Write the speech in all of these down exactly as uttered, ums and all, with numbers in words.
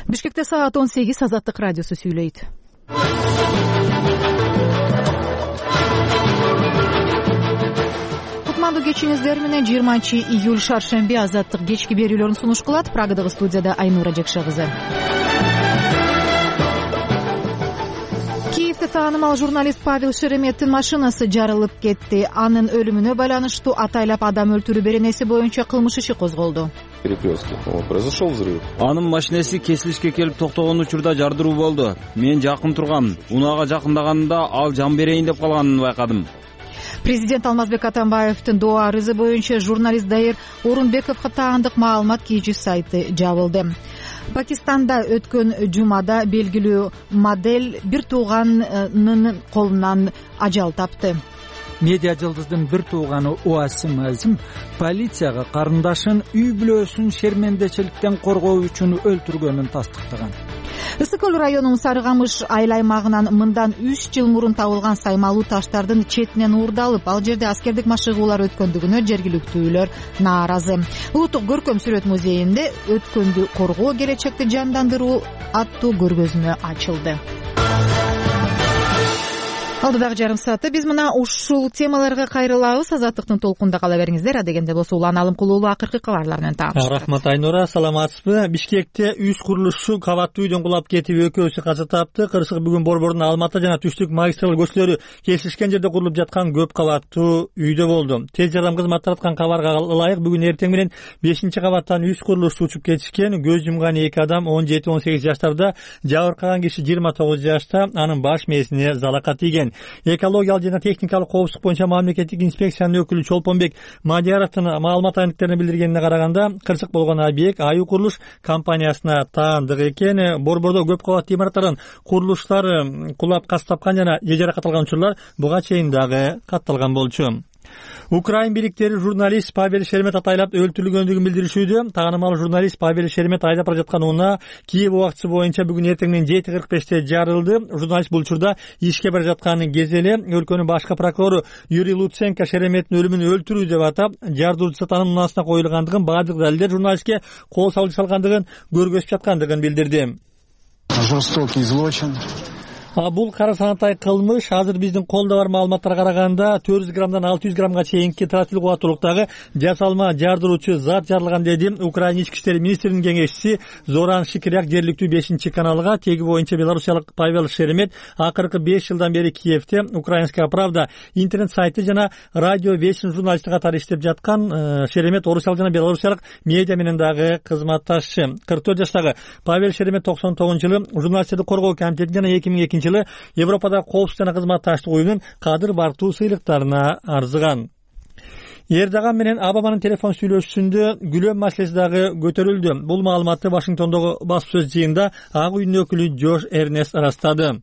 Бишкекте саат он сегиз, Азаттык радиосу сүйлөйт. Кутмандуу кечиңиздер менен жыйырманчы июль шаршемби Азаттык кечки берүүлөрүн сунуш кылат. Прагадагы студияда Айнура Жекше кызы. Киевде таанымал журналист Павел Шереметтин машинасы жарылып кетти. Анын өлүмүнө байланыштуу атайлап адам өлтүрүү беренеси боюнча кылмыш иши козголду. Перекрестке. Произошел взрыв. Анын машинеси кесилишке келип токтогон учурда жардыруу болду. Мен жакын тургам. Унаага жакындаганымда ал жан берейин деп калганын байкадым. Президент Алмазбек Атамбаевдин доо арызы боюнча журналист Дайыр Орунбековго таандык маалымат кийүүчү сайты жабылды. Пакистанда өткөн жумада белгилүү модель бир тууганынын колунан ажал тапты. Медиа жылдыздын бир тууганы Уасим Азим полицияга карындашын үй бүлөсүн шермендечиликтен коргоо үчүн өлтүргөнүн тастыктаган. Ысык көл районунун Сарыгамыш айыл аймагынан мындан үч жыл мурун табылган саймалуу таштардын четинен уурдалып, ал жерде аскердик машыгуулар өткөндүгүнө жергиликтүүлөр нааразы. Улуттук көркөм сүрөт музейинде өткөндү коргоо, келечекти жандандыруу аттуу көргөзмө ачылды. Алдыдагы жарым саатта биз мына ушул темаларга кайрылабыз. Азаттыктын толкунда кала бериңиздер. Адегенде болсо Улан Алымкулуулу акыркы кабарлар менен таанышабыз. Рахмат Айнура, саламатсызбы? Бишкекте үч курулушчу кабаттуу үйдөн кулап кетип, экөөсү каза тапты. Кырсык бүгүн Борбордун Алматы жана Түштүк магистраль көчөлөрү кесилишкен жерде курулуп жаткан көп кабаттуу үйдө болду. Тез жардам кызматтары аткан кабарга ылайык бүгүн эртең менен бешинчи кабаттан үч курулушчу учуп кетишкен. Көз жумган эки адам он жети он сегиз жаштарда, жабыркаган киши жыйырма тогуз жашта, анын баш мээсине залака тийген. Экологиялык жана техникалык коопсуздук боюнча мамлекеттик инспекциянын өкүлү Чолпонбек Мадияровдун маалымат агенттиктерине билдиргенине караганда, кырсык болгон объект Аю курулуш компаниясына таандык экен. Борбордо көп кабаттуу имараттардын курулуштары кулап кас тапкан жана же жаракат алган учурлар буга чейин дагы катталган болчу. Украин бийликтери журналист Павел Шеремет атайлап өлтүрүлгөндүгүн билдиришүүдө. Таанымал журналист Павел Шеремет айдап бара жаткан унаа Киев убактысы боюнча бүгүн эртең менен жети кырк беште жарылды. Журналист бул учурда ишке бара жатканын кезели өлкөнүн башкы прокурору Юрий Луценко Шереметтин өлүмүн өлтүрүү деп атап, жардыруучу сатанын унаасына коюлгандыгын, баардык далилдер журналистке кол салуу салгандыгын көргөзүп жаткандыгын билдирди. Жестокий злочин. Бул кара санатай кылмыш азыр биздин колдо бар маалыматтарга караганда төрт жүз граммдан алты жүз граммга чейинки тротил кубаттуулуктагы жасалма жардыруучу зат жарылган, деди Украина ички иштер министринин кеңешчиси Зоран Шикиряк жергиликтүү бешинчи каналга. Теги боюнча белорусиялык Павел Шеремет акыркы беш жылдан бери Киевде Украинская правда интернет сайты жана радио Вечный журналисти катары иштеп жаткан. Шеремет орусиялык жана белорусиялык медиа менен дагы кызматташчы. кырк төрт жаштагы Павел Шеремет токсон тогузунчу жылы журналисттерди коргоо комитети жана эки миң экинчи жылы Европада коопсуздук жана кызматташтык уюмунун кадыр бартуу сыйлыктарына арзыган. Эрдоган менен Обаманын телефон сүйлөшүүсүндө күлөм маселеси дагы көтөрүлдү. Бул маалыматты Вашингтондогу баспасөз жыйынында Ак үйдүн өкүлү Джош Эрнест ырастады.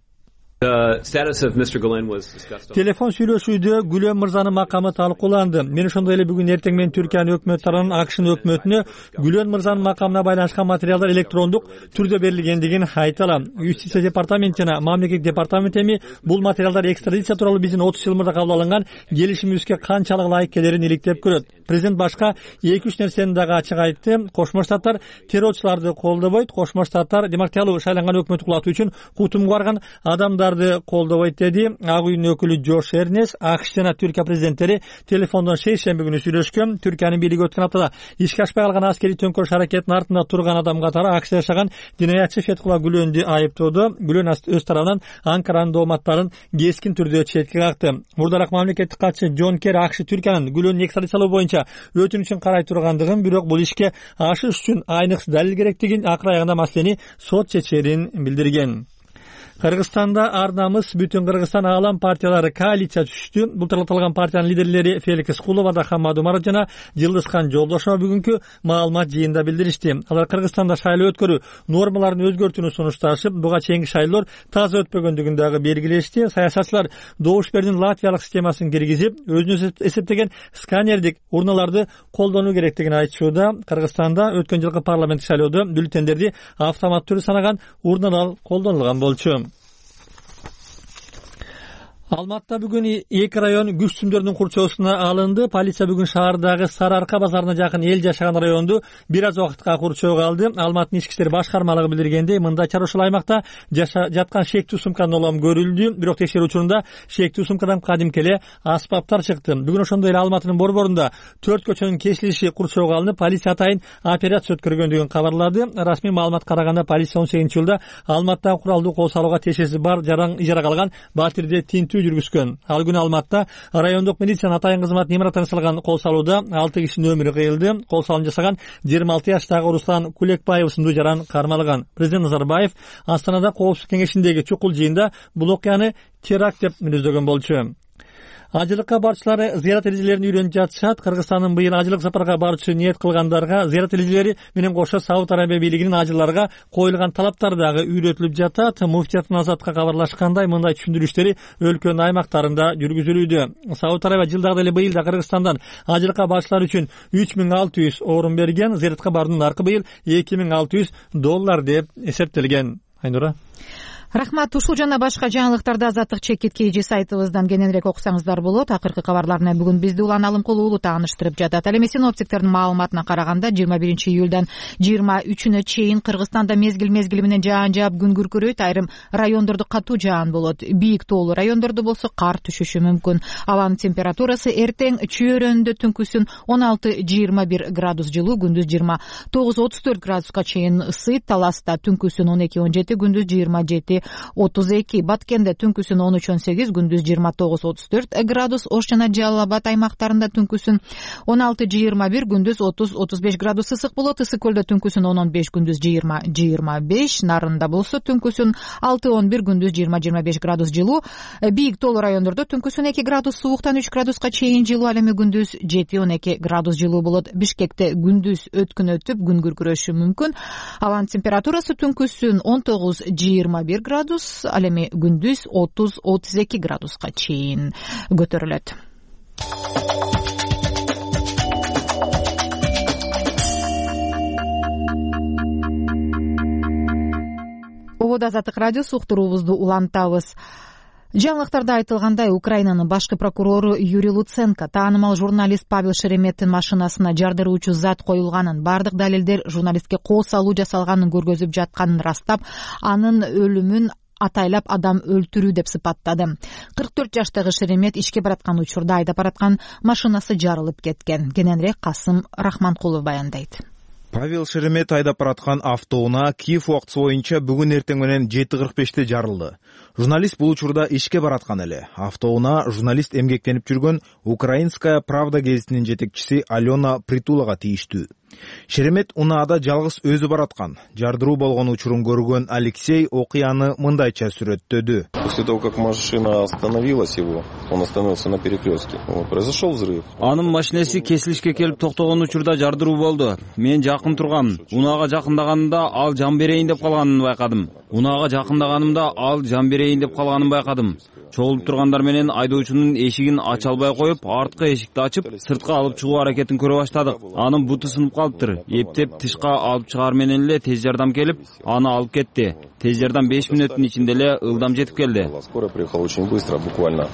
Телефон сүйлөшүүдө Гүлөм мырзанын макамы талкууланды. Мен ошондой эле бүгүн эртең менен Түркиянын өкмөт тарабынан АКШнын өкмөтүнө Гүлөм мырзанын макамына байланышкан материалдар электрондук түрдө берилгендигин айта алам. Юстиция департаменти жана мамлекеттик департамент эми бул материалдар экстрадиция тууралуу биздин отуз жыл мурда кабыл алынган келишимибизге канчалык ылайык келерин иликтеп көрөт. Президент башка эки үч нерсени дагы ачык айтты. Кошмо Штаттар террорчуларды колдобойт. Кошмо Штаттар демократиялуу шайланган өкмөттү кулатуу үчүн кутумга барган адамдар колдобойт, деди Ак үйдүн өкүлү Джош Эрнес. АКШ жана Түркия президенттери телефондон шейшемби күнү сүйлөшкөн. Түркиянын бийлиги өткөн аптада ишке ашпай калган аскерий төңкөрүш аракетинин артында турган адам катары АКШда жашаган динаятчы Фетхулла Гүлөндү айыптоодо. Гүлөн өз тарабынан Анкаранын дооматтарын кескин түрдө четке какты. Мурдараак мамлекеттик катчы Джон Керри АКШ Түркиянын Гүлөндү экстрадициялоо боюнча өтүнүчүн карай тургандыгын, бирок бул ишке ашыш үчүн айныкс далил керектигин, акыр аягында маселени сот чечерин билдирген. Кыргызстанда ар намыс бүтүн Кыргызстан аалам партиялары коалиция түштү. Бул тартылган партиянын лидерлери Феликс Кулова да Хаммад Умаров жана Жылдызхан Жолдошова бүгүнкү маалымат жыйында билдиришти. Алар Кыргызстанда шайлоо өткөрүү нормаларын өзгөртүүнү сунушташып, буга чейинки шайлоолор таза өтпөгөндүгүн дагы белгилешти. Саясатчылар добуш берүүнүн латвиялык системасын киргизип, өзүнүн эсептеген сканердик урналарды колдонуу керектигин айтышууда. Кыргызстанда өткөн жылкы парламенттик шайлоодо бюллетендерди автомат түрдө санаган урналар колдонулган болчу. Алматта бүгүн эки район күч сүмдөрүнүн курчоосуна алынды. Полиция бүгүн шаардагы Сары Арка базарына жакын эл жашаган районду бир аз убакытка курчоого алды. Алматынын ички иштер башкармалыгы билдиргендей, мындайча ушул аймакта жаткан шектүү сумканын улам көрүлдү. Бирок текшерүү учурунда шектүү сумкадан кадимки эле аспаптар чыкты. Бүгүн ошондой эле Алматынын борборунда төрт көчөнүн кесилиши курчоого алынып, полиция атайын операция өткөргөндүгүн кабарлады. Расмий маалыматка караганда, полиция он сегизинчи жылда Алматта куралдуу кол салууга тиешеси бар жаран ижарага алган батирде тинтүү жүргүзгөн. Ал күнү Алматта райондук милициянын атайын кызматы имаратына салган кол салууда алты кишинин өмүрү кыйылды. Кол салуун жасаган жыйырма алты жаштагы Руслан Кулекбаев сындуу жаран кармалган. Президент Назарбаев Астанада Коопсуздук кеңешиндеги чукул жыйында бул окуяны теракт деп мүнөздөгөн болчу. Ажылыкка барчылары зыярат эрежелерин үйрөнүп жатышат. Кыргызстандын быйыл ажылык сапарга барчу ниет кылгандарга зыярат эрежелери менен кошо Сауд Арабия бийлигинин ажыларга коюлган талаптары дагы үйрөтүлүп жатат. Муфтият Азатка кабарлашкандай, мындай түшүндүрүштөр өлкөнүн аймактарында жүргүзүлүүдө. Сауд Арабия жылдагы эле быйыл да Кыргызстандан ажылыкка барчылар үчүн үч миң алты жүз орун берген. Зыяратка баруунун наркы быйыл эки миң алты жүз доллар деп эсептелген. Айнура. Рахмат. Ушул жана башка жаңылыктарды Азаттык чекит kg сайтыбыздан кененирээк окусаңыздар болот. Акыркы кабарларына бүгүн бизди Улан Алымкулуу уулу тааныштырып жатат. Ал эми синоптиктердин маалыматына караганда, жыйырма биринчи июлдан жыйырма үчүнө чейин Кыргызстанда мезгил мезгили менен жаан жаап, күн күркүрөйт. Айрым райондордо катуу жаан болот. Бийик тоолуу райондордо болсо кар түшүшү мүмкүн. Абанын температурасы эртең Чүйөрөндө түнкүсүн он алты жыйырма бир градус жылуу, күндүз жыйырма тогуз отуз төрт градуска чейин ысыйт. Таласта түнкүсүн он эки он жети, күндүз жыйырма жети отуз эки. Баткенде түнкүсүн он үч он сегиз, күндүз жыйырма тогуз отуз төрт градус. Ош жана Жалал Абад аймактарында түнкүсүн он алты жыйырма бир, күндүз отуз отуз беш градус ысык болот. Ысык көлдө түнкүсүн он он беш, күндүз жыйырма жыйырма беш. Нарында болсо түнкүсүн алты он бир, күндүз жыйырма жыйырма беш градус жылуу. Бийик тоолуу райондордо түнкүсүн эки градус сууктан үч градуска чейин жылуу. Ал эми күндүз жети он эки градус жылуу болот. Бишкекте күндүз өткүн өтүп, күн күркүрөшү мүмкүн. Абанын температурасы түнкүсүн он тогуз жыйырма бир градус, ал эми күндүз отуз отуз эки градуска чейин көтөрүлөт. Ободо Азаттык радиосу, уктуруубузду улантабыз. Жаңылыктарда айтылгандай, Украинанын башкы прокурору Юрий Луценко таанымал журналист Павел Шереметтин машинасына жардыруучу зат коюлганын, бардык далилдер журналистке кол салуу жасалганын көргөзүп жатканын растап, анын өлүмүн атайлап адам өлтүрүү деп сыпаттады. кырк төрт жаштагы Шеремет ишке бараткан учурда айдап бараткан машинасы жарылып кеткен. Кененирээк Касым Рахманкулов баяндайт. Павел Шеремет айдап бараткан автоунаа Киев убактысы боюнча бүгүн эртең менен жети кырк беште жарылды. Журналист бул учурда ишке бараткан эле. Автоунаа журналист эмгектенип жүргөн Украинская правда гезитинин жетекчиси Алена Притулага тийиштүү. Шеремет унаада жалгыз өзү бараткан. Жардыруу болгон учурун көргөн Алексей окуяны мындайча сүрөттөдү. После того, как машина остановилась его, он остановился на перекрестке. Произошел взрыв. Анын машинеси кесилишке келип токтогон учурда жардыруу болду. Мен жакын тургам. Унаага жакындаганымда ал жан берейин деп калганын байкадым. Унаага жакындаганымда ал жан берейин деп калганын байкадым. Чогулуп тургандар менен айдоочунун эшигин ача албай коюп, арткы эшикти ачып, сыртка алып чыгуу аракетин көрө баштадык. Анын буту сынып калыптыр. Эптеп тышка алып чыгаар менен эле тез жардам келип, аны алып кетти. Тез жардам беш мүнөттүн ичинде эле ылдам жетип келди. Скорая приехала очень быстро, буквально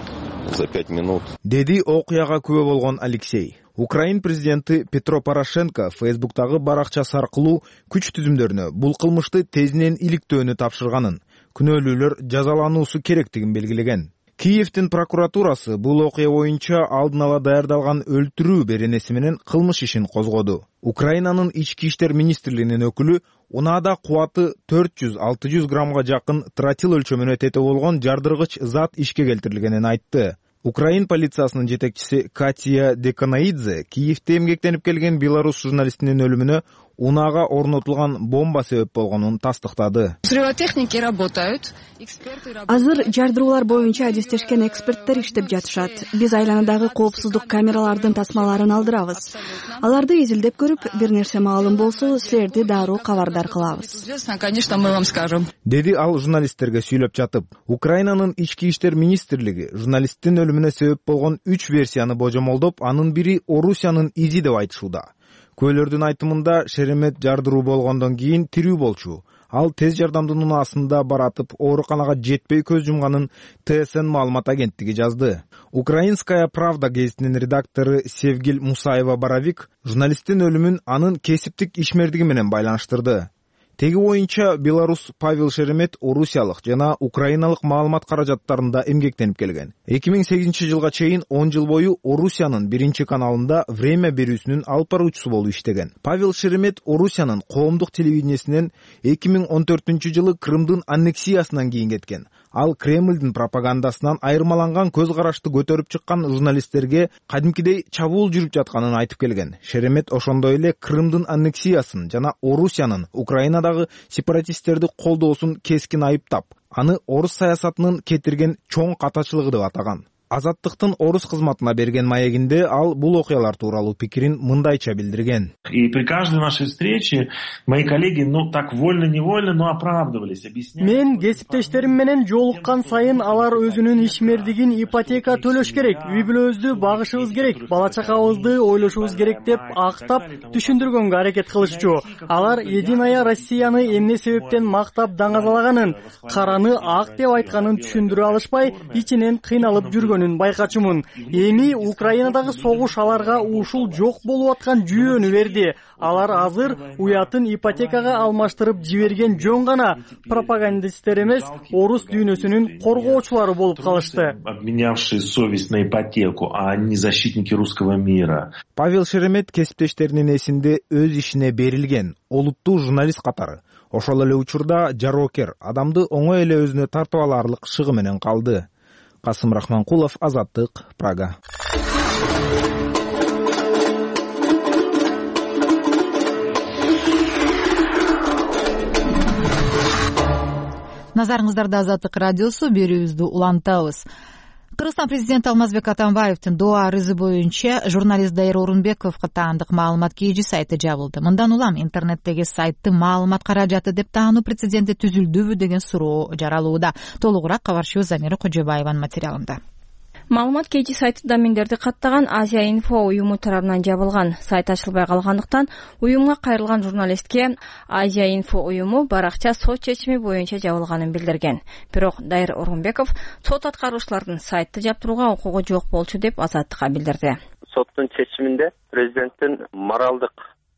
за пять минут. Деди окуяга күбө болгон Алексей. Украин президенти Петро Порошенко Фейсбуктагы баракчасы аркылуу күч түзүмдөрүнө бул кылмышты тезинен иликтөөнү тапшырганын, күнөөлүүлөр жазалануусу керектигин белгилеген. Киевдин прокуратурасы бул окуя боюнча алдын ала даярдалган өлтүрүү беренеси менен кылмыш ишин козгоду. Украинанын ички иштер министрлигинин өкүлү унаада кубаты төрт жүз алты жүз граммга жакын тротил өлчөмүнө тете болгон жардыргыч зат ишке келтирилгенин айтты. Украин полициясынын жетекчиси Катя Деканаидзе Киевде эмгектенип келген белорус журналистинин өлүмүнө унаага орнотулган бомба себеп болгонун тастыктады. Взрывотехники работают. Азыр жардыруулар боюнча адистешкен эксперттер иштеп жатышат. Биз айланадагы коопсуздук камералардын тасмаларын алдырабыз. Аларды изилдеп көрүп, бир нерсе маалым болсо, силерди дароо кабардар кылабыз. Конечно, мы вам скажем. Деди ал журналисттерге сүйлөп жатып. Украинанын ички иштер министрлиги журналисттин өлүмүнө себеп болгон үч версияны божомолдоп, анын бири Орусиянын изи деп айтышууда. Куөлөрдүн айтымында Шеремет жардыруу болгондон кийин тирүү болчу. Ал тез жардамдын унаасында баратып ооруканага жетпей көз жумганын ТСН маалымат агенттиги жазды. Украинская правда гезитинин редактору Севгил Мусаева-Боровик журналисттин өлүмүн анын кесиптик ишмердиги менен байланыштырды. Теги боюнча Беларус Павел Шеремет орусиялык жана украиналык маалымат каражаттарында эмгектенип келген. эки миң сегизинчи жылга чейин он жыл бою Орусиянын биринчи каналында Время берүүсүнүн алып баруучусу болуп иштеген. Павел Шеремет Орусиянын коомдук телевидениесинен эки миң он төртүнчү жылы Крымдын аннексиясынан кийин кеткен. Ал Кремлдин пропагандасынан айырмаланган көз карашты көтөрүп чыккан журналисттерге кадимкидей чабуул жүрүп жатканын айтып келген. Шеремет ошондой эле Крымдын аннексиясын жана Орусиянын Украинадагы сепаратисттерди колдоосун кескин айыптап, аны орус саясатынын кетирген чоң катачылыгы деп атаган. Азаттыктын орус кызматына берген маегинде ал бул окуялар тууралуу пикирин мындайча билдирген. И при каждой нашей встрече мои коллеги, ну так вольно-невольно, но оправдывались, объясняли. Мен кесиптештерим менен жолуккан сайын алар өзүнүн ишмердигин ипотека төлөш керек, үй бүлөбүздү багышыбыз керек, бала чакабызды ойлошубуз керек деп актап түшүндүргөнгө аракет кылышчу. Алар Единая Россияны эмне себептен мактап даңазалаганын, караны ак деп айтканын түшүндүрө алышпай, ичинен кыйналып жүргөн байкачумун. Эми Украинадагы согуш аларга ушул жок болуп аткан жүйөнү берди. Алар азыр уятын ипотекага алмаштырып жиберген жөн гана пропагандисттер эмес, орус дүйнөсүнүн коргоочулары болуп калышты. Обменявшие совесть на ипотеку, а не защитники русского мира. Павел Шеремет кесиптештеринин эсинде өз ишине берилген, олуттуу журналист катары. Ошол эле учурда жароокер, адамды оңой эле өзүнө тартып аларлык шыгы менен калды. Касым Рахманкулов, Азаттык, Прага. Назарыңыздарда Азаттык радиосу, берүүбүздү улантабыз. Кыргызстан президенти Алмазбек Атамбаевдин доо арызы боюнча журналист Дайыр Орунбековго таандык маалымат кийүүчү сайты жабылды. Мындан улам интернеттеги сайтты маалымат каражаты деп таануу прецеденти түзүлдүбү деген суроо жаралууда. Толугураак кабарчыбыз Замира Кожобаеванын материалында. Маалымат кийүүчү сайты домендерди каттаган Азия Инфо уюму тарабынан жабылган. Сайт ачылбай калгандыктан уюмга кайрылган журналистке Азия Инфо уюму баракча сот чечими боюнча жабылганын билдирген. Бирок Дайыр Орунбеков сот аткаруучулардын сайтты жаптырууга укугу жок болчу деп Азаттыкка билдирди. Соттун чечиминде президенттин моралдык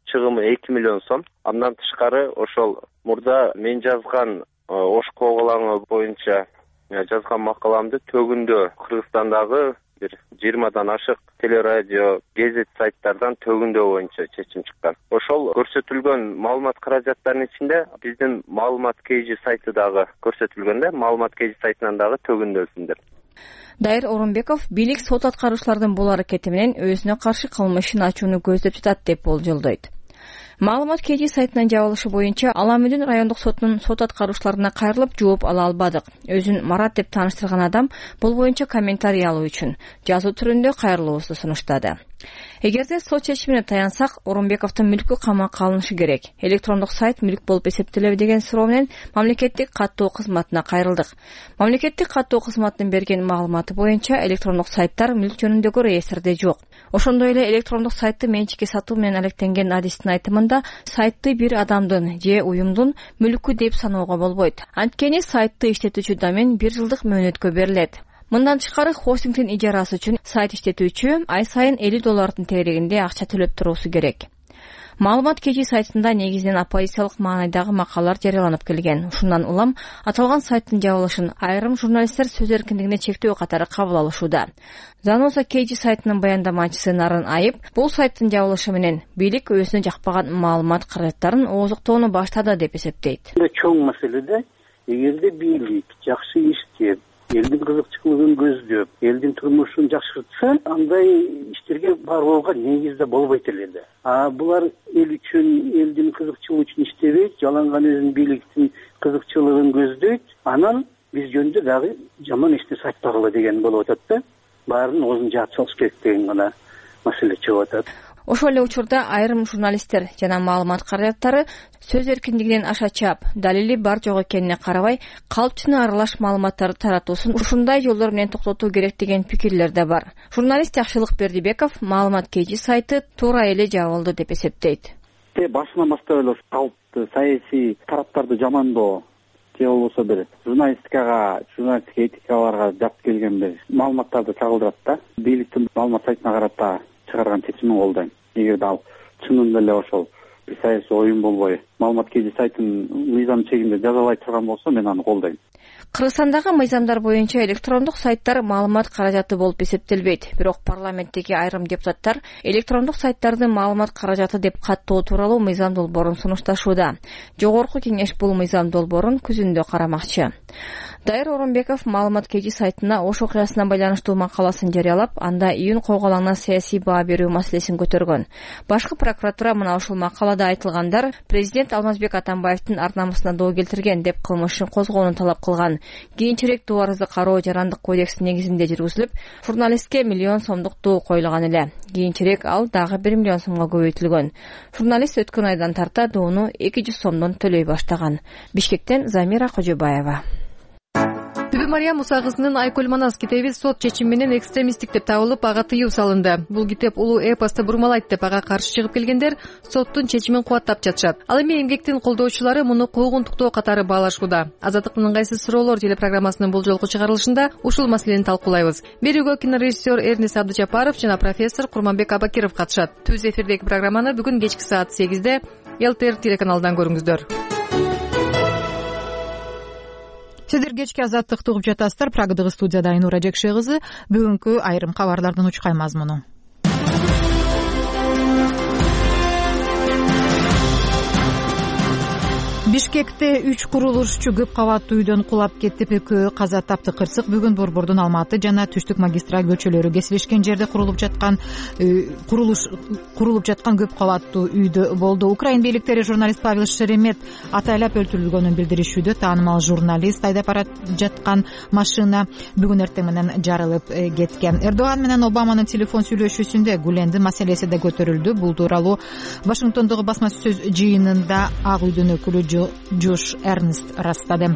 чыгымы эки миллион сом. Андан тышкары ошол мурда мен жазган ош коголаңы боюнча жазган макаламды төгүндө Кыргызстандагы бир жыйырмадан ашык телерадио, гезит сайттардан төгүндө боюнча чечим чыккан. Ошол көрсөтүлгөн маалымат каражаттарынын ичинде биздин маалымат кейжи сайты дагы көрсөтүлгөн да, маалымат кейжи сайтынан дагы төгүндөсүндөр. Дайыр Орунбеков бийлик сот аткаруучулардын бул аракети менен өзүнө каршы кылмыш ишин ачууну көздөп жатат деп болжолдойт. Маалымат кейжи сайтынын жабылышы боюнча Ала Мүдүн райондук сотунун сот аткаруучуларына кайрылып жооп ала албадык. Өзүн Марат деп тааныштырган адам бул боюнча комментарий алуу үчүн жазуу түрүндө кайрылуубузду сунуштады. Эгерде сот чечимине таянсак, Орунбековдун мүлкү камакка алынышы керек. Электрондук сайт мүлк болуп эсептелеби деген суроо менен мамлекеттик каттоо кызматына кайрылдык. Мамлекеттик каттоо кызматынын берген маалыматы боюнча электрондук сайттар мүлк жөнүндөгү реестрде жок. Ошондой эле электрондук сайтты менчикке сатуу менен алектенген адистин айтымында сайтты бир адамдын же уюмдун мүлкү деп саноого болбойт. Анткени сайтты иштетүүчү домен бир жылдык мөөнөткө берилет. Мындан тышкары хостингдин ижарасы үчүн сайт иштетүүчү ай сайын элүү доллардын тегерегинде акча төлөп туруусу керек. Маалымат кейжи сайтында негизинен оппозициялык маанайдагы макалалар жарыяланып келген. Ушундан улам аталган сайттын жабылышын айрым журналисттер сөз эркиндигине чектөө катары кабыл алышууда. Заноза кейжи сайтынын баяндамачысы Нарын Айып бул сайттын жабылышы менен бийлик өзүнө жакпаган маалымат каражаттарын ооздуктоону баштады деп эсептейт. Чоң маселеде эгерде бийлик жакшы иштеп, элдин кызыкчылыгын көздөп, элдин турмушун жакшыртса, андай иштерге барууга негиз да болбойт эле да. А булар эл үчүн, элдин кызыкчылыгы үчүн иштебейт, жаланган өзүнүн бийликтин кызыкчылыгын көздөйт. Анан биз жөнүндө дагы жаман эч нерсе айтпагыла деген болуп атат да. Баарын оозун жаап салыш керек деген гана маселе чыгып атат. Ошол эле учурда айрым журналисттер жана маалымат каражаттары сөз эркиндигинен аша чаап, далили бар жок экенине карабай, калпчыны аралаш маалыматтарды таратуусун ушундай жолдор менен токтотуу керек деген пикирлер да бар. Журналист Жакшылык Бердибеков маалымат кей жи сайты туура эле жабылды деп эсептейт. Башынан баштап эле калпты саясий тараптарды жамандоо же болбосо бир журналистикага, журналистик этикаларга жат келген бир маалыматтарды чагылдырат да. Бийликтин маалымат сайтына карата чыгарган чечимин колдойм. Эгерде ал чынында эле ошол бир саясий оюн болбой, маалымат кей жи сайтын мыйзам чегинде жазалай турган болсо, мен аны колдойм. Кыргызстандагы мыйзамдар боюнча электрондук сайттар маалымат каражаты болуп эсептелбейт. Бирок парламенттеги айрым депутаттар электрондук сайттарды маалымат каражаты деп каттоо тууралуу мыйзам долбоорун сунушташууда. Жогорку кеңеш бул мыйзам долбоорун күзүндө карамакчы. Дайыр Орунбеков маалымат кей жи сайтына ош окуясына байланыштуу макаласын жарыялап, анда июнь койголаңына саясий баа берүү маселесин көтөргөн. Башкы прокуратура мына ушул макалада айтылгандар президент Алмазбек Атамбаевдин ар намысына доо келтирген деп кылмышын козгоону талап кылган. Кийинчерээк доо арызды кароо жарандык кодекс негизинде жүргүзүлүп, журналистке миллион сомдук доо коюлган эле. Кийинчерээк ал дагы бир миллион сомго көбөйтүлгөн. Журналист өткөн айдан тарта доону эки жүз сомдон төлөй баштаган. Бишкектен Замира Кожобаева. Түбү Мария Муса кызынын Айкөл Манас китеби сот чечими менен экстремисттик деп табылып, ага тыюу салынды. Бул китеп улуу эпосто бурмалайт деп ага каршы чыгып келгендер соттун чечимин кубаттап жатышат. Ал эми эмгектин колдоочулары муну куугунтуктоо катары баалашууда. Азаттыктын ыңгайсыз суроолор телепрограммасынын бул жолку чыгарылышында ушул маселени талкуулайбыз. Берүүгө кинорежиссер Эрнис Абдыжапаров жана профессор Курманбек Абакиров катышат. Түз эфирдеги программаны бүгүн кечки саат сегизде эл тэ эр телеканалынан көрүңүздөр. Сиздер кечки азаттыкты угуп жатасыздар. Прагадагы студияда Айнура Жекше кызы. Бүгүнкү айрым кабарлардын учкай мазмуну. Бишкекте үч курулушчу көп кабаттуу үйдөн кулап кетип, экөө каза тапты. Кырсык бүгүн Борбордун Алматы жана Түштүк магистраль көчөлөрү кесилишкен жерде курулуп жаткан курулуш курулуп жаткан көп кабаттуу үйдө болду. Украин бийликтери журналист Павел Шеремет атайлап өлтүрүлгөнүн билдиришүүдө. Таанымал журналист айдап бара жаткан машина бүгүн эртең менен жарылып кеткен. Эрдоган менен Обаманын телефон сүйлөшүүсүндө Гүлендин маселеси да көтөрүлдү. Бул тууралуу Вашингтондогу басма сөз жыйынында Ак үйдүн өкүлү Джош Эрнст растады.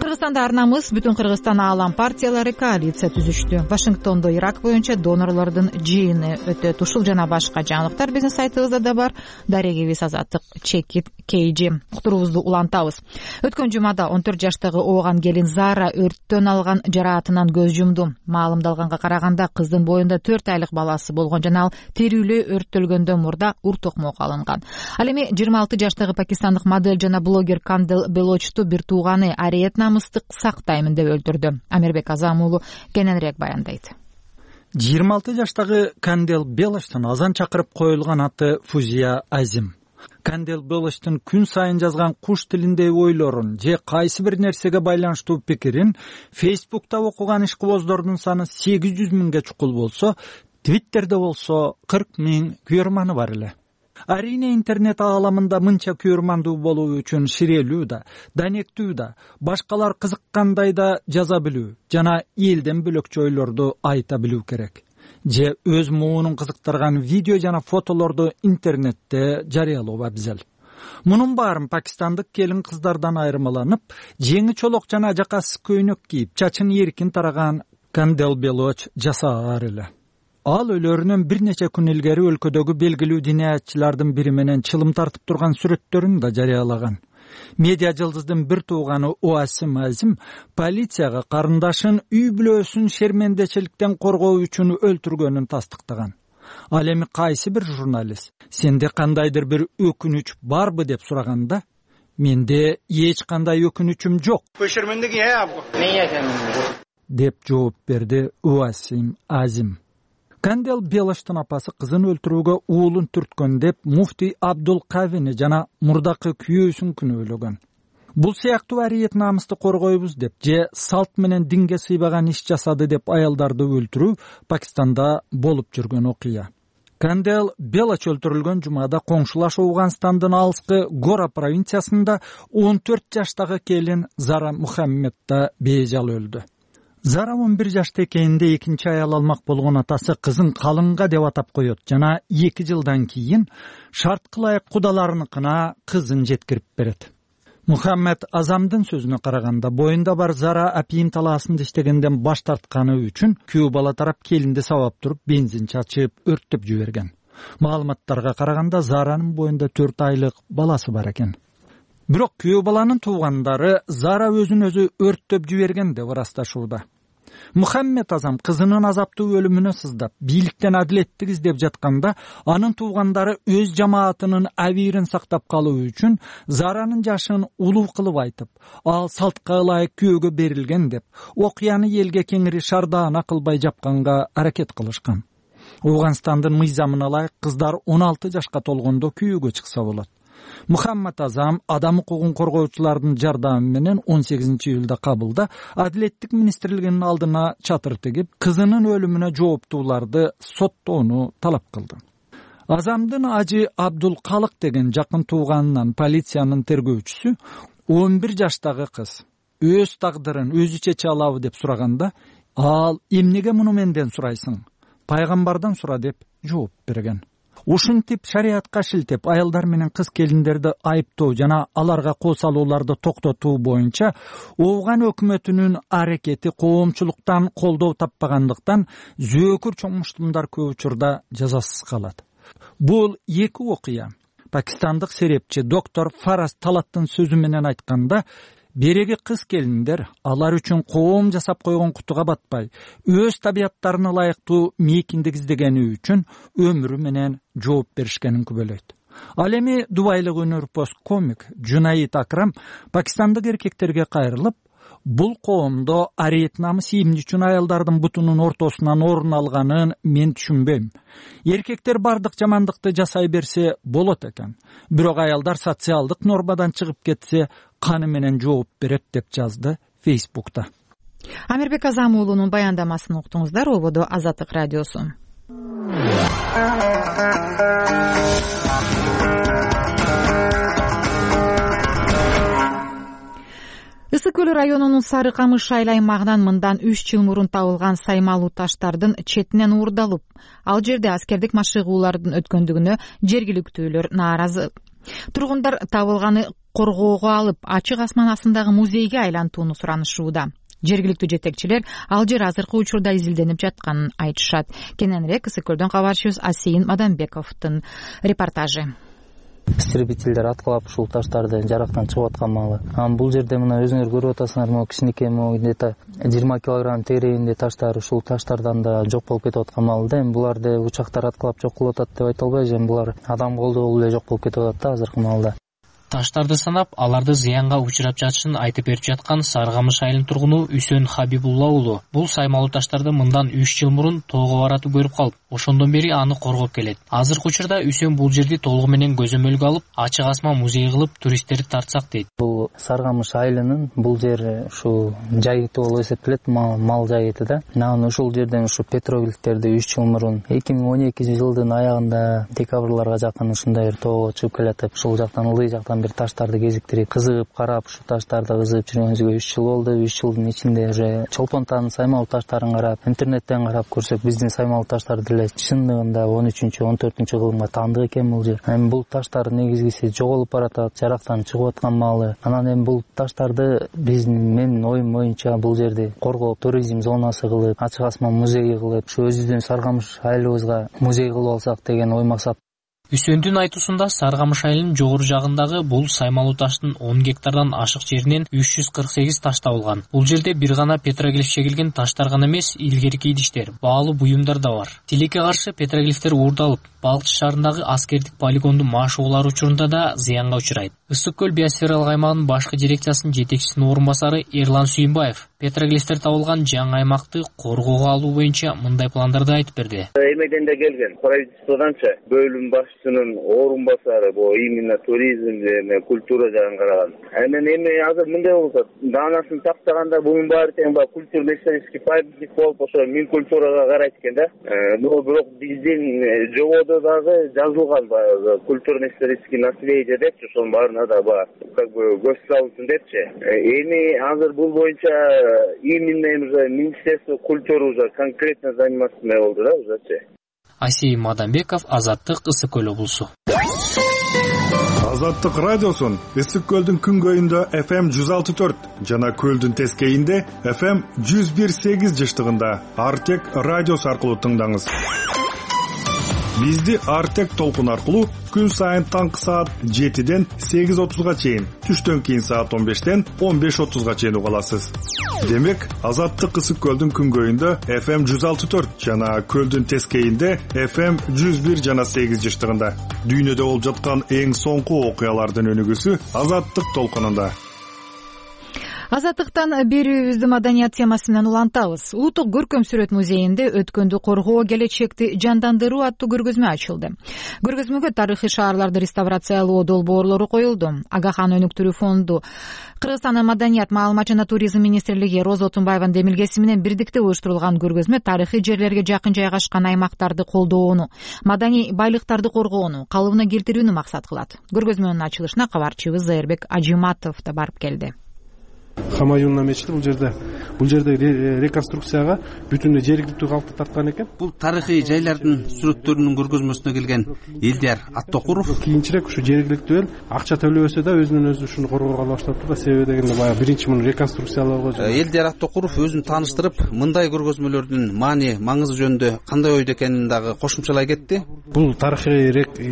Кыргызстанда ар намыс бүтүн Кыргызстан аалам партиялары коалиция түзүштү. Вашингтондо Ирак боюнча донорлордун жыйыны өтөт. Ушул жана башка жаңылыктар биздин сайтыбызда да бар. Дарегибиз Азаттык чекит кейжи. Уктуруубузду улантабыз. Өткөн жумада он төрт жаштагы ооган келин Зара өрттөн алган жараатынан көз жумду. Маалымдалганга караганда кыздын боюнда төрт айлык баласы болгон жана ал терүүлүү өрттөлгөндөн мурда ур токмок алынган. Ал эми жыйырма алты жаштагы пакистандык модель жана блогер Кандел Белочту бир тууганы ариет намыстык сактаймын деп өлтүрдү. Амирбек Азам уулу кененирээк баяндайт. жыйырма алты жаштагы Кандел Белочтун азан чакырып коюлган аты Фузия Азим. Кандел Белочтун күн сайын жазган куш тилиндеги ойлорун же кайсы бир нерсеге байланыштуу пикирин Фейсбукта окуган ишкыбоздордун саны сегиз жүз миңге чукул болсо, Твиттерде болсо кырк миң күйөрманы бар эле. Арине интернет ааламында мынча күйөрмандуу болуу үчүн ширелүү да, данектүү да, башкалар кызыккандай да жаза билүү жана элден бөлөкчө ойлорду айта билүү керек. Же өз муунун кызыктырган видео жана фотолорду интернетте жарыялоо абзел. Мунун баарын пакистандык келин кыздардан айырмаланып, жеңи чолок жана жакасыз көйнөк кийип, чачын эркин тараган Кандел Белоч жасаар эле. Ал өлөрүнөн бир нече күн илгери өлкөдөгү белгилүү диниятчылардын бири менен чылым тартып турган сүрөттөрүн да жарыялаган. Медиа жылдыздын бир тууганы Уасим Азим полицияга карындашын үй бүлөсүн шермендечиликтен коргоо үчүн өлтүргөнүн тастыктаган. Ал эми кайсы бир журналист сенде кандайдыр бир өкүнүч барбы деп сураганда, менде эч кандай өкүнүчүм жок деп жооп берди Уасим Азим. Кандел Белоштун апасы кызын өлтүрүүгө уулун түрткөн деп муфтий Абдул Кавини жана мурдакы күйөөсүн күнөөлөгөн. Бул сыяктуу ариет намысты коргойбуз деп же салт менен динге сыйбаган иш жасады деп аялдарды өлтүрүү Пакистанда болуп жүргөн окуя. Кандел Белоч өлтүрүлгөн жумада коңшулаш Ауганстандын алыскы Гора провинциясында он төрт жаштагы келин Зара Мухаммед да бейжал өлдү. Зара он бир жашта экенинде экинчи аял алмак болгон атасы кызын калынга деп атап коет жана эки жылдан кийин шартка ылайык кудаларыныкына кызын жеткирип берет. Мухаммед Азамдын сөзүнө караганда, боюнда бар Зара апийим талаасында иштегенден баш тартканы үчүн күйөө бала тарап келинди сабап туруп бензин чачып өрттөп жиберген. Маалыматтарга караганда Заранын боюнда төрт айлык баласы бар экен. Бирок күйөө баланын туугандары Зара өзүн өзү өрттөп жиберген деп ырасташууда. Мухаммед Азам кызынын азаптуу өлүмүнө сыздап, бийликтен адилеттик издеп жатканда, анын туугандары өз жамаатынын абийирин сактап калуу үчүн Заранын жашын улуу кылып айтып, ал салтка ылайык күйөөгө берилген деп, окуяны элге кеңири шардаана кылбай жапканга аракет кылышкан. Ооганстандын мыйзамына ылайык кыздар он алты жашка толгондо күйөөгө чыкса болот. Мухаммед Азам адам укугун коргоочулардын жардамы менен он сегизинчи июлда Кабылда Адилеттик министрлигинин алдына чатыр тигип, кызынын өлүмүнө жооптууларды соттоону талап кылды. Азамдын ажы Абдул Калык деген жакын тууганынан полициянын тергөөчүсү он бир жаштагы кыз өз тагдырын өзү чече алабы деп сураганда, ал эмнеге муну менден сурайсың? Пайгамбардан сура деп жооп берген. Ушинтип шариатка шилтеп, аялдар менен кыз келиндерди айыптоо жана аларга кол салууларды токтотуу боюнча Ооган өкмөтүнүн аракети коомчулуктан колдоо таппагандыктан зөөкүр чоңмуштумдар көп учурда жазасыз калат. Бул эки окуя пакистандык серепчи доктор Фараз Талаттын сөзү менен айтканда, береги кыз келиндер алар үчүн коом жасап койгон кутуга батпай, өз табияттарына ылайыктуу мейкиндик издегени үчүн өмүрү менен жооп беришкенин күбөлөйт. Ал эми дубайлык өнөрпоз комик Жунаид Акрам пакистандык эркектерге кайрылып, бул коомдо ариет намыс ийимди үчүн аялдардын бутунун ортосунан орун алганын мен түшүнбөйм. Эркектер бардык жамандыкты жасай берсе болот экен. Бирок аялдар социалдык нормадан чыгып кетсе, каны менен жооп берет деп жазды Фейсбукта. Амирбек Азам уулунун баяндамасын уктуңуздар. Ободо Азаттык радиосу. Ысык көл районунун Сары Камыш айыл аймагынан мындан үч жыл мурун табылган саймалуу таштардын четинен уурдалып, ал жерде аскердик машыгуулардын өткөндүгүнө жергиликтүүлөр нааразы. Тургундар табылганы коргоого алып, ачык асман астындагы музейге айлантууну суранышууда. Жергиликтүү жетекчилер ал жер азыркы учурда изилденип жатканын айтышат. Кененирээк Ысык көлдөн кабарчыбыз Асейин Мадамбековдун репортажы. Истребительдер аткылап ушул таштарды жарактан чыгып аткан маалы. Анан бул жерде мына өзүңөр көрүп атасыңар, могу кичинекей могу где-то жыйырма килограмм тегерегинде таштар ушул таштардан да жок болуп кетип аткан маалы да. Эми буларды учактар аткылап жок кылып атат деп айта албайбыз. Эми булар адам колдоо эле жок болуп кетип атат да азыркы маалда. Таштарды санап, аларды зыянга учурап жатышын айтып берип жаткан Сары Камыш айылынын тургуну Үсөн Хабибулла уулу. Бул саймалуу таштарды мындан үч жыл мурун тоого баратып көрүп калып, ошондон бери аны коргоп келет. Азыркы учурда Үсөн бул жерди толугу менен көзөмөлгө алып, ачык асман музей кылып туристтерди тартсак дейт. Бул Сары Камыш айылынын бул жер ушу жайыты болуп эсептелет, мал жайыты да. Анан ушул жерден ушу петроглифтерди үч жыл мурун эки миң он экинчи жылдын аягында декабрларга жакын ушундай бир тоого чыгып келатып, ушул жактан ылдый жактан бир таштарды кезиктирип, кызыгып карап, ушу таштарды кызыгып жүргөнүбүзгө үч жыл болду. үч жылдын ичинде уже Чолпонтанын саймалуу таштарын карап, интернеттен карап көрсөк, биздин саймалуу таштар деле чындыгында он үчүнчү он төртүнчү кылымга таандык экен бул жер. Эми бул таштар негизгиси жоголуп баратат, жарактан чыгып аткан маалы. Анан эми бул таштарды биздин менин оюм боюнча бул жерди коргоп, туризм зонасы кылып, ачык асман музейи кылып, ушу өзүбүздүн Сары Камыш айылыбызга музей кылып алсак деген ой максат. Үсөндүн айтуусунда Сары Камыш айылынын жогору жагындагы бул саймалуу таштын он гектардан ашык жеринен үч жүз кырк сегиз таш табылган. Бул жерде бир гана петроглиф чегилген таштар гана эмес, илгерки идиштер, баалуу буюмдар да бар. Тилекке каршы петроглифтер уурдалып, Балкчы шаарындагы аскердик полигондун машыгуулары учурунда да зыянга учурайт. Ысык көл биосфералык аймагынын башкы дирекциясынын жетекчисинин орун басары Эрлан Сүйүнбаев петроглифтер табылган жаңы аймакты коргоого алуу боюнча мындай пландарды айтып берди. Эмеден да келген правительстводанчы бөлүм башчысынын орун басары, бул именно туризм жана культура жагын караган. Анан эми азыр мындай болсо, даанасын тактаганда буюм баары тең баягы культурно-исторический памятник болуп, ошо мин культурага карайт экен да. Но бирок биздин жободо дагы жазылган баягы культурно-исторический наследие депчи, ошонун баарына да баягы как бы көз салынсын депчи. Эми азыр бул боюнча именно уже Министерство культуры уже конкретно заниматься эме болду да ужечи. Асей Мадамбеков, Азаттык, Ысык Көл облусу. Азаттык радиосун Ысык Көлдүн күнгөйүндө эф эм жүз алты төрт жана Көлдүн тескейинде эф эм жүз бир сегиз жыштыгында Артек радиосу аркылуу тыңдаңыз. Бизди Артек толкун аркылуу күн сайын таңкы саат жетиден сегиз отузга чейин, түштөн кийин саат он бештен он беш отузга чейин уга аласыз. Демек, Азаттык Ысык Көлдүн күнгөйүндө эф эм жүз алты төрт жана Көлдүн тескейинде эф эм жүз бир жана сегиз жыштыгында. Дүйнөдө болуп жаткан эң соңку окуялардын өнүгүүсү Азаттык толкунунда. Азаттыктан берүүбүздү маданият темасы менен улантабыз. Улуттук көркөм сүрөт музейинде өткөндү коргоо, келечекти жандандыруу аттуу көргөзмө ачылды. Көргөзмөгө тарыхый шаарларды реставрациялоо долбоорлору коюлду. Агахан өнүктүрүү фонду, Кыргызстандын маданият, маалымат жана туризм министрлиги Роза Отунбаеванын демилгеси менен бирдикте уюштурулган көргөзмө тарыхый жерлерге жакын жайгашкан аймактарды колдоону, маданий байлыктарды коргоону, калыбына келтирүүнү максат кылат. Көргөзмөнүн ачылышына кабарчыбыз Зайырбек Ажиматов да барып келди. Хамаюнна мечити бул жерде бул жерде реконструкцияга бүтүндөй жергиликтүү калкты тарткан экен. Бул тарыхый жайлардын сүрөттөрүнүн көргөзмөсүнө келген Элдияр Аттокуров кийинчерээк ушу жергиликтүү эл акча төлөбөсө да өзүнөн өзү ушуну коргоого баштаптыр да. Себеби дегенде баягы биринчи муну реконструкциялоого. Элдияр Аттокуров өзүн тааныштырып, мындай көргөзмөлөрдүн маани, маңызы жөнүндө кандай ойдо экенин дагы кошумчалай кетти. Бул тарыхый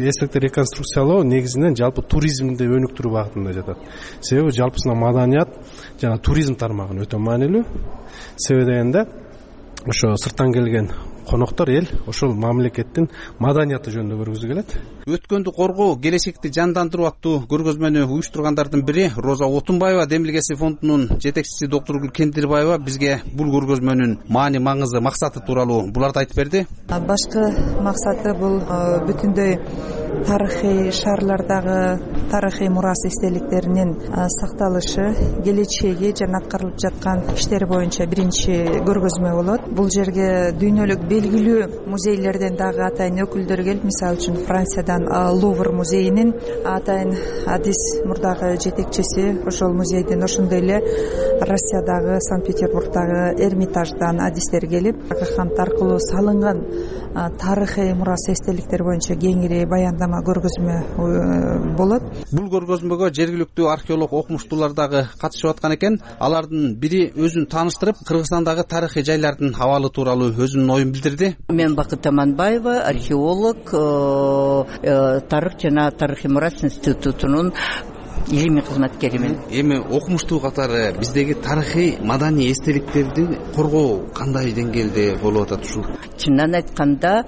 эстекти реконструкциялоо негизинен жалпы туризмди өнүктүрүү багытында жатат. Себеби жалпысынан маданият жана туризм тармагы өтө маанилүү. Себеби дегенде ошо сырттан келген коноктор эл ошол мамлекеттин маданияты жөнүндө көргүзгү келет. Өткөндү коргоо, келечекти жандандыруу аттуу көргөзмөнү уюштургандардын бири Роза Отунбаева демилгеси фондунун жетекчиси доктор Гүл Кендирбаева бизге бул көргөзмөнүн маани, маңызы, максаты тууралуу буларды айтып берди. Башкы максаты бул бүтүндөй тарыхый шаарлардагы тарыхый мурас эстеликтеринин сакталышы, келечеги жана аткарылып жаткан иштери боюнча биринчи көргөзмө болот. Бул жерге дүйнөлүк белгилүү музейлерден дагы атайын өкүлдөр келип, мисалы үчүн Франциядан Лувр музейинин атайын адис мурдагы жетекчиси, ошол музейдин, ошондой эле Россиядагы Санкт-Петербургдагы Эрмитаждан адистер келип, Агахан аркылуу салынган тарыхый мурас эстеликтер боюнча кеңири баяндама көргөзмө болот. Бул көргөзмөгө жергиликтүү археолог окумуштуулар дагы катышып аткан экен. Алардын бири өзүн тааныштырып, Кыргызстандагы тарыхый жайлардын абалы тууралуу өзүнүн оюн билдирди. Мен Бакыт Аманбаева, археолог, тарых жана тарыхый мурас институтунун илимий кызматкеримин. Эми окумуштуу катары биздеги тарыхый маданий эстеликтерди коргоо кандай деңгээлде болуп атат ушул? Чынын айтканда,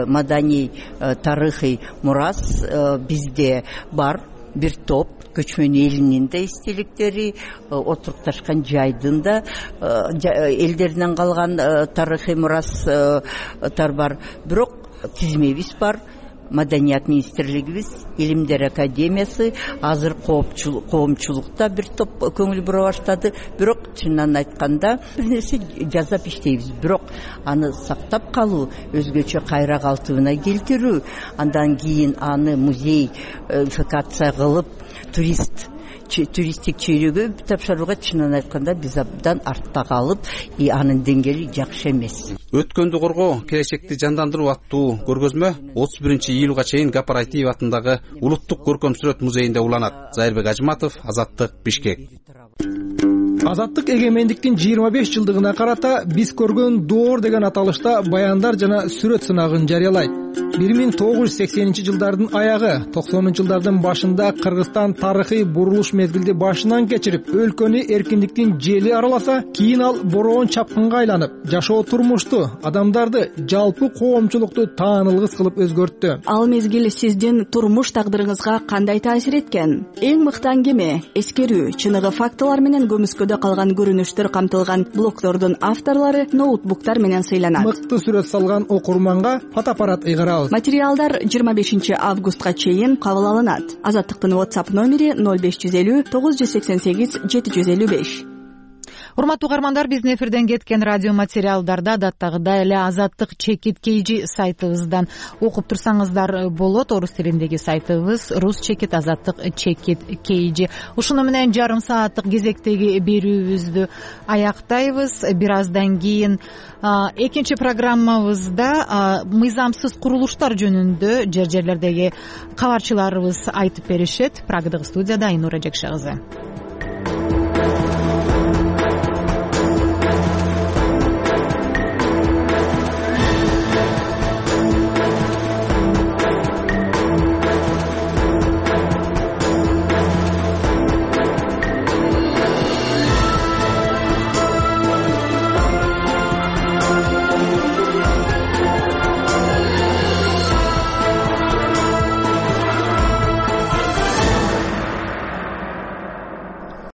маданий тарыхый мурас бизде бар. Бир топ көчмөн элинин да эстеликтери, отурукташкан жайдын да элдеринен калган тарыхый мурастар бар. Бирок тизмебиз бар. Маданият министрлигибиз, Илимдер академиясы азыр коомчулукта бир топ көңүл бура баштады. Бирок чынын айтканда бир нерсе жасап иштейбиз. Бирок аны сактап калуу, өзгөчө кайра калтыбына келтирүү, андан кийин аны музейфикация кылып, турист туристтик чөйрөгө тапшырууга чынын айтканда биз абдан артта калып, и анын деңгээли жакшы эмес. Өткөндү коргоо, келечекти жандандыруу аттуу көргөзмө отуз биринчи июлга чейин Гапар Айтиев атындагы Улуттук көркөм сүрөт музейинде уланат. Зайырбек Ажиматов, Азаттык, Бишкек. Азаттык эгемендиктин жыйырма беш жылдыгына карата биз көргөн доор деген аталышта баяндар жана сүрөт сынагын жарыялайт. бир миң тогуз жүз сексенинчи жылдардын аягы, токсонунчу жылдардын башында Кыргызстан тарыхый бурулуш мезгилди башынан кечирип, өлкөнү эркиндиктин жели араласа, кийин ал бороон чапкынга айланып, жашоо турмушту, адамдарды, жалпы коомчулукту таанылгыс кылып өзгөрттү. Ал мезгил сиздин турмуш тагдырыңызга кандай таасир эткен? Эң мыкты аңгеме, эскерүү, чыныгы фактылар менен көмүскөдө калган көрүнүштөр камтылган блогдордун авторлору ноутбуктар менен сыйланат. Мыкты сүрөт салган окурманга фотоаппарат ыйгарабыз. Материалдар жыйырма бешинчи августка чейин кабыл алынат. Азаттыктын WhatsApp номери ноль беш жүз элүү тогуз жүз сексен сегиз жети жүз элүү беш. урматтуу угармандар, биздин эфирден кеткен радио материалдарды адаттагыдай эле Азаттык чекит kg сайтыбыздан окуп турсаңыздар болот. Орус тилиндеги сайтыбыз рус чекит азаттык чекит kg. Ушуну менен жарым сааттык кезектеги берүүбүздү аяктайбыз. Бир аздан кийин экинчи программабызда мыйзамсыз курулуштар жөнүндө жер жерлердеги кабарчыларыбыз айтып беришет. Прагадагы студияда Айнура Жекше кызы.